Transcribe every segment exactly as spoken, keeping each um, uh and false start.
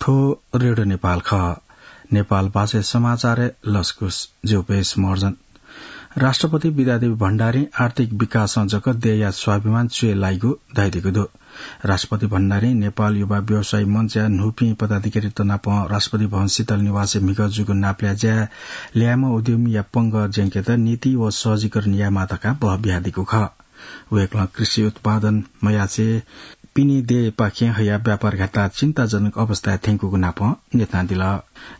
रेडियो नेपाल खः। नेपाल भाषाय् समाचारय् लसकुस। ज्यू पेश मर्जन। राष्ट्रपति विद्यादेवी भण्डारीं आर्थिक विकासं जक देय्‌या स्वाभिमान च्वय् लाइगु धयादीगु दु। राष्ट्रपति भण्डारीं नेपाल युवा व्यवसायी मञ्चया न्हूपिं पदाधिकारीत नाप राष्ट्रपति भवन शीतल निवासय् म्हिगः जूगु नापलाये ज्याय् ल्याय्म्ह उद्यमीया पंगः ज्यंकेत नीति व सहजीकरण यायेमाः धकाः बह बियादीगु खः। वय्‌कलं कृषि उत्पादन मयासें पिने देय्‌पाखें हयाः व्यापार घाटा चिन्ताजनक अवस्थाय् थ्यंकूगु नाप न्ह्यथनादिल।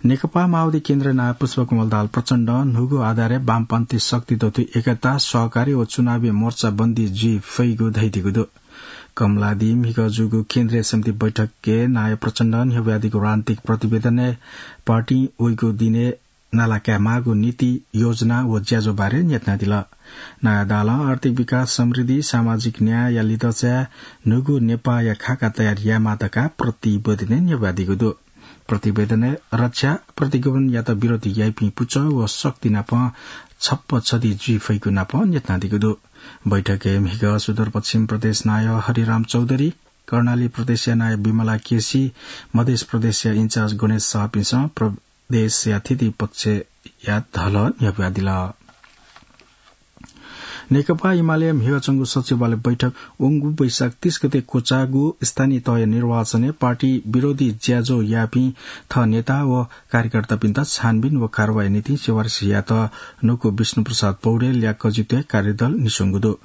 नेकपा माओवादी केन्द्रया नायः पुष्पकमल दाहाल प्रचण्डं न्हूगु आधारय् वामपन्थी शक्ति दथुइ एकता, सहकारी व चुनावी मोर्चाबन्दी जुइ फइगु धयादीगु दु। कमलादी म्हिगः जूगु केन्द्रीय समिति बैठकय् नायः प्रचण्डं न्ह्यब्वयादीगु राजनीतिक प्रतिवेदनय् पार्टीं वइगु दिनय् नाला कायेमाःगु नीति, योजना व ज्याझ्वः बारे न्ह्यथनादिल। नायः दाहालं आर्थिक विकास, समृद्धि, सामाजिक न्यायया लिधंचाय् न्हूगु नेपाःया खाका तयार यायेमाः धकाः प्रतिवेदनय् न्ह्यब्वयादीगु दु। प्रतिवेदनय् रक्षा, प्रतिगमनयात विरोध याइपिं पुचः व शक्ति नाप छप्पा छधी जुइ फइगु नाप न्ह्यथनादीगु दु। बैठकय् म्हिगः सुदूरपश्चिम प्रदेश नायः हरिराम चौधरी, कर्णाली प्रदेशया नायः विमला केसी, मधेस प्रदेशया इन्चार्ज गणेश शाहपिन्सं प्रदेशया थीथी पक्षया धलः न्ह्यब्वयादिल। नेकपा एमाले म्हिगः च्वंगु सचिवालय बैठक वंगु वैशाख तीस गते क्वचाःगु स्थानीय तहया निर्वाचनय् पार्टी विरोधी ज्याझ्वः याःपिं थः नेता व कार्यकर्तापिन्त छानबिन व कारवाही निंतिं सिफारिस यायेत न्हूगु विष्णुप्रसाद पौडेलया कजित्वय् कार्यदल निस्वंगु दु।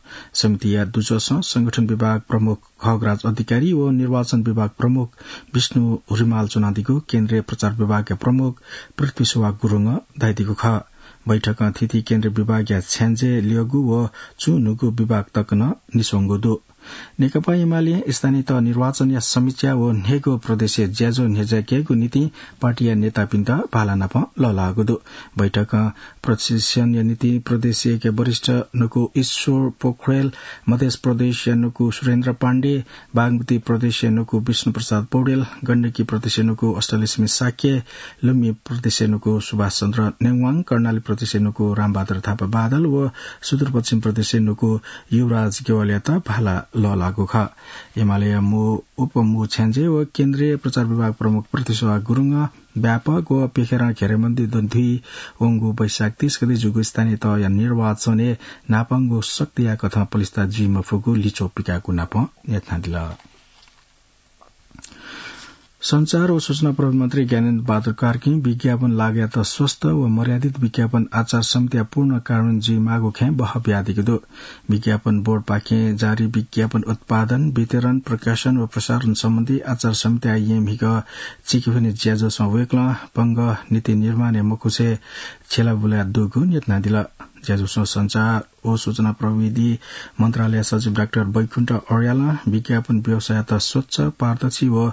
समितिया दुजःसं संगठन विभाग प्रमुख खगराज अधिकारी व निर्वाचन विभाग प्रमुख विष्णु रिमाल च्वनादीगु केन्द्रीय प्रचार विभागया प्रमुख पृथ्वी सुवास गुरुङं धयादीगु खः। बैठकं थीथी केन्द्रीय विभागया छ्याञ्जे ल्यःगु व चून्हूगु विभाग तक नं निस्वंगु दु। नेकपा एमालें स्थानीय तह निर्वाचनया समीक्षा व न्हय्गू प्रदेशय् ज्याझ्वः न्ह्यज्याकेगु निंतिं पार्टीया नेतापिन्त भाला नाप लःल्हाःगु दु। बैठकं प्रशिक्षणया निंतिं प्रदेश एकया वरिष्ठ न्हूगु ईश्वर पोखरेल, मधेस प्रदेशया न्हूगु सुरेन्द्र पाण्डे, बागमती प्रदेशया न्हूगु विष्णुप्रसाद पौडेल, गण्डकी प्रदेशया न्हूगु अष्टलक्ष्मी शाक्य, लुम्बिनी प्रदेशया न्हूगु सुभाष चन्द्र नेवाङ, कर्णाली प्रदेशया न्हूगु रामबहादुर थापा बादल व सुदूरपश्चिम प्रदेशया न्हूगु युवराज ज्ञवालीयात भाला लःल्हाःगु खः। एमालेया मू उपमू छ्याञ्जे व केन्द्रीय प्रचार विभाग प्रमुख पृथ्वी सुवास गुरुङं व्यापक व प्यखेरं घेराबन्दी दथुइ वंगु वैशाख तीस गते जूगु स्थानीय तहया निर्वाचनय् न्हापांगु शक्तिया कथं पलिस्था जुइ मफुगु लिच्वः पिकाःगु नाप न्ह्यथनादिल। सञ्चार व सूचना प्रविधि मन्त्री ज्ञानेन्द्र बहादुर कार्कीं विज्ञापन लागःयात स्वस्थ व मर्यादित विज्ञापन आचार संहिताया पूर्ण कार्यान्वयन जुइमाःगु खँय् बह बियादीगु दु। विज्ञापन बोर्डपाखें जारी विज्ञापन उत्पादन, वितरण, प्रकाशन व प्रसारण सम्बन्धी आचार संहिताया येँ म्हिगः चिकेफुने ज्याझ्वलय् वय्कलं पंगः नीति निर्माणय् मखुसे छ्यला बुलाः दुगु न्ह्यथनादिल। ज्याझ्वलय् सञ्चार व सूचना प्रविधि मन्त्रालय सचिव डाक्टर वैकुण्ठ अर्यालं विज्ञापन व्यवसाययात स्वच्छ, पारदर्शी व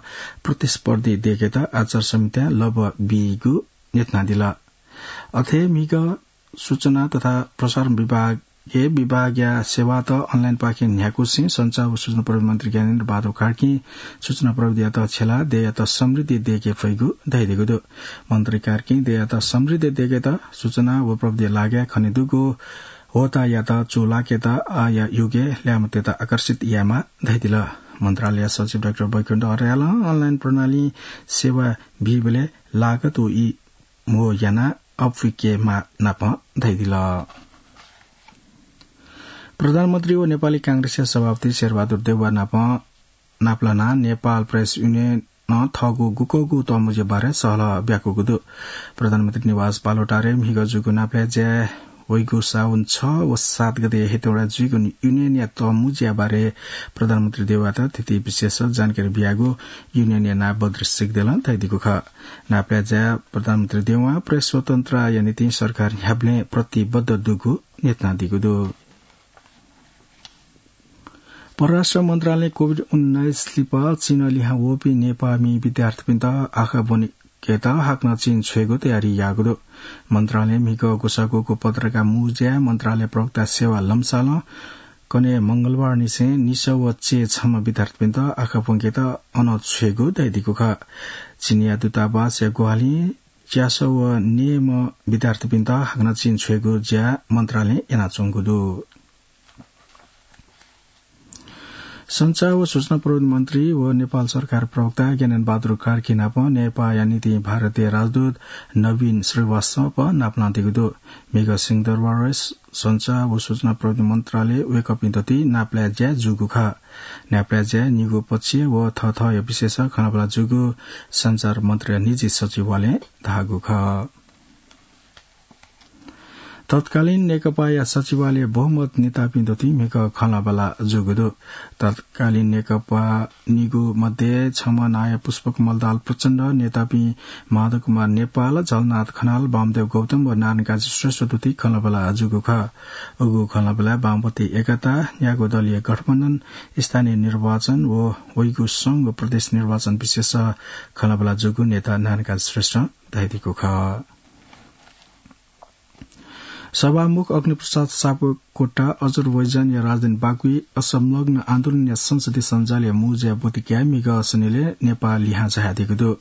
प्रतिस्पर्धी दयेकेत आचार संहितां लँबः बीगु न्ह्यथनादिल। अथे म्हिगः सूचना तथा प्रसारण विभागय् विभागया सेवात अनलाइनपाखें न्ह्याकुसें सञ्चार व सूचना प्रविधि मन्त्री ज्ञानेन्द्र बहादुर कार्कीं सूचना प्रविधियात छ्यलाः देय्‌यात समृद्धि दयेके फइगु धयादीगु दु। मन्त्री कार्कीं देय्‌यात समृद्धि दयेकेत सूचना व प्रविधि लागःय् खनेदुगु होतायात चूलाकेत आःया युगय् ल्याय्‌म्हतय्‌त आकर्षित यायेमाः धयादिल। मन्त्रालय सचिव डाक्टर वैकुण्ठ अर्यालं अनलाइन प्रणालीं सेवा बीबलय् लागत व ई म्हो यानाः अप्वय्केमाः नाप धयादिल। प्रधानमन्त्री व नेपाली कांग्रेसया सभापति शेरबहादुर देउवा नाप नापलानाः नेपाल प्रेस युनियनं थःगु गुकःगु तःमुँज्या बारे सहलह ब्याकूगु दु। प्रधानमन्त्री निवास बालुवाटारय् म्हिगः जूगु नापलाये ज्याय् वइगु साउन छ व सात गते हेटौँडाय् जुइगु युनियनया तःमुँज्या बारे प्रधानमन्त्री देउवायात थीथी विशेष जानकारी बियागु युनियनया नायः बद्री सिग्देलं धयादीगु खः। नापलाये ज्याय् प्रधानमन्त्री देउवां प्रेस स्वतन्त्रताया निंतिं सरकार न्ह्याबलें प्रतिबद्ध दुगु न्ह्यथनादीगु दु। परराष्ट्र मन्त्रालयं कोभिड उन्नाइस लिपा चीनं लिहां वःपिं नेपाःमि विद्यार्थीपिन्त आखः ब्वनेकेत हाकनं चीन छ्वयेगु तयारी याःगु दु। मन्त्रालयं म्हिगः ग्वसाः ग्वःगु पत्रकार मुँज्याय् मन्त्रालय प्रवक्ता सेवा लम्सालं कन्हय् मंगलबारनिसें निसः व चय् छम्ह विद्यार्थीपिन्त आखः ब्वंकेत अन छ्वयेगु धयादीगु खः। चीनया दूतावासया ग्वाहालिं च्यासः व न्यय्म्ह विद्यार्थीपिन्त हाकनं चीन छ्वयेगु ज्या मन्त्रालयं यानाच्वंगु दु। सञ्चार व सूचना प्रविधि मन्त्री व नेपाल सरकार प्रवक्ता ज्ञानेन्द्र बहादुर कार्की नाप नेपाःया निंतिं भारतीय राजदूत नवीन श्रीवास्तव नापलानादीगु दु। म्हिगः सिंहदरबारय् सञ्चार व सूचना प्रविधि मन्त्रालय वय्‌कःपिं दथुइ नापलाये ज्या जूगु खः। नापलाये ज्या निगू पक्ष व थःथःया विषयस खँल्हाबल्हा जूगु सञ्चार मन्त्रालय निजी सचिवालयं धाःगु खः। तत्कालीन नेकपाया सचिवालय बहुमत नेतापिं दथुइ म्हिगः खँल्हाबल्हा जूगु दु। तत्कालीन नेकपा निगू मध्ये छम्ह नायः पुष्पकमल दाहाल प्रचण्ड, नेतापिं माधव कुमार नेपाल, झलनाथ खनाल, वामदेव गौतम व नारायणकाजी श्रेष्ठ दथुइ खँल्हाबल्हा जूगु खः। उगु खँल्हाबल्हाय् वामपन्थी एकता, न्यागू दलीय गठबन्धन, स्थानीय निर्वाचन व वइगु संघ व प्रदेश निर्वाचन विषयस खँल्हाबल्हा जूगु नेता नारायणकाजी श्रेष्ठं धयादीगु खः। सभामुख अग्निप्रसाद सापकोटा अजरबैजानया राजधानी बाकुइ असंलग्न आन्दोलनया संसदीय सञ्जालया मुँज्याय् ब्वति कयाः म्हिगः सनिलय् नेपाः लिहां झायादीगु दु।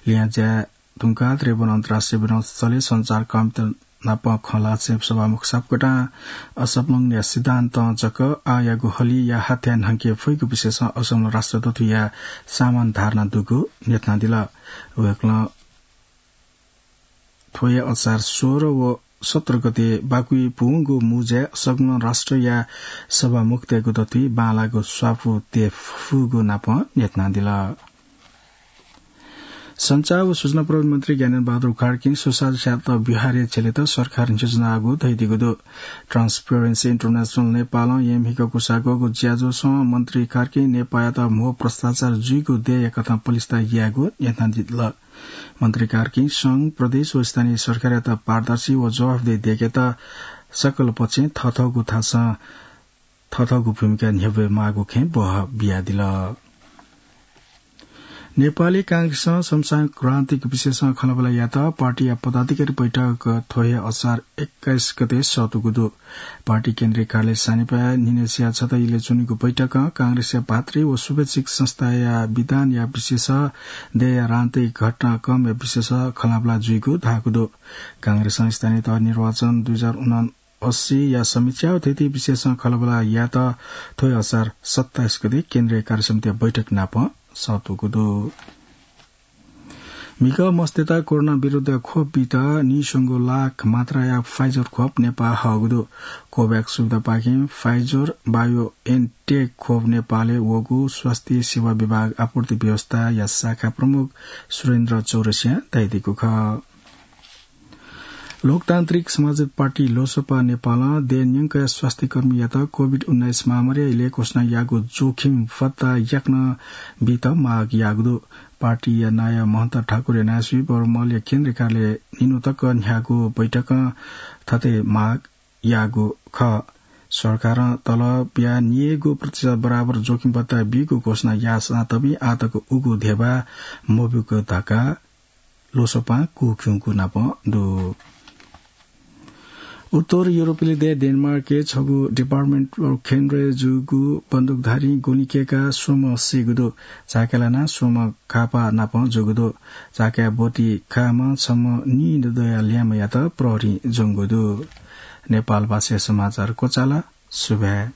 लिहां झाये धुंकाः त्रिभुवन अन्तर्राष्ट्रिय विमानस्थलय् सञ्चारकर्मीत नाप खँ ल्हासें सभामुख सापकोटां असंलग्नया सिद्धान्तं जक आःयागु हलिया हाथ्याः न्हंके फइगु विषयस असंलग्न राष्ट्र दथुइया सामान्य धारणा दुगु न्ह्यथनादिल। वय्‌कलं थ्वया असार सोह्र व सत्र गते बाकुइ पूवंगु मुँज्याय् संलग्न राष्ट्रया सभामुखतय्‌गु दथुइ बांलाःगु स्वापू तये फुगु नाप न्ह्यथनादिल। सञ्चार व सूचना प्रविधि मन्त्री ज्ञानेन्द्र बहादुर कार्कीं स्वसाझ्यात व्यवहारय् झ्यलेत सरकारं न्ह्यसः यानागु धयादीगु दु। Transparency International नेपालं येँ म्हिगः कुसाग्वःगु ज्याझ्वलय् मन्त्री कार्कीं नेपाःयात म्हो भ्रष्टाचार जुइगु देय्‌या कथं पलिस्था यायेगु न्ह्यथनादिल। मन्त्री कार्कीं संघ, प्रदेश व स्थानीय सरकारयात पारदर्शी व जवाफदेही दयेकेत सकल पक्षं थःथःगु थासं थःथःगु भूमिका न्ह्यब्वये माःगु खँय् बहः बियादिल। नेपाली कांग्रेसं समसामयिक राजनीतिक विषयस खँल्हाबल्हा यायेत पार्टीया पदाधिकारी बैठक थ्व हे असार एक्काइस गते सःतूगु दु। पार्टी केन्द्रीय कार्यालय सानिपाय् न्हिनय्‌सिया छता इलय् च्वनीगु बैठकं कांग्रेसया भातृ व शुभेच्छुक संस्थाया विधानया विषयस, देय्‌या राजनीतिक घटनाक्रमया विषयस खँल्हाबल्हा जुइगु धाःगु दु। कांग्रेसं स्थानीय तह निर्वाचन दुई हजार उनासी या समीक्षा व थीथी विषयस खँल्हाबल्हा यायेत थ्व हे असार सत्ताइस गते केन्द्रीय कार्यसमितिया बैठक नाप सःतूगु दु। म्हिगः मस्तय्‌त कोरोना विरुद्ध खोप बीत नीस्वंगू लाख मात्राया Pfizer खोप नेपाः हःगु दु। COVAX सुविधापाखें Pfizer BioNTech खोप नेपालय् वःगु स्वास्थ्य सेवा विभाग आपूर्ति व्यवस्थाया शाखा प्रमुख सुरेन्द्र चौरसियां धयादीगु खः। लोकतान्त्रिक समाजवादी पार्टी लोसपा नेपालं देय् न्यंकया स्वास्थ्यकर्मीयात COVID उन्नाइस महामारीया इलय् घोषणा याःगु जोखिम भत्ता याकनं बीत माग याःगु दु। पार्टीया नायः महन्त ठाकुरया नायःसुइ बर्मलया केन्द्रीय कार्यालयय् निन्हु तक न्ह्याःगु बैठकं थथे माग याःगु खः। सरकारं तलबया निय्‌गू प्रतिशत बराबर जोखिम भत्ता बीगु घोषणा याःसां तबि आःतक उगु धेबा मब्यूगु धकाः लोसपां कुःखिउँगु नाप दु। उत्तर युरोपेली देय् डेनमार्कय् छगू department store केन्द्रय् जूगु बन्दुकधारीं गोली कय्‌काः स्वम्ह सीगु दु। चाकय् लानाः स्वम्ह घाःपाः नाप जूगु दु। चाकय् ब्वति काःम्ह छम्ह नीदँया ल्याय्‌म्हयात प्रहरीं ज्वंगु दु। नेपालभाषाय् समाचार क्वचाल। सुभाय्।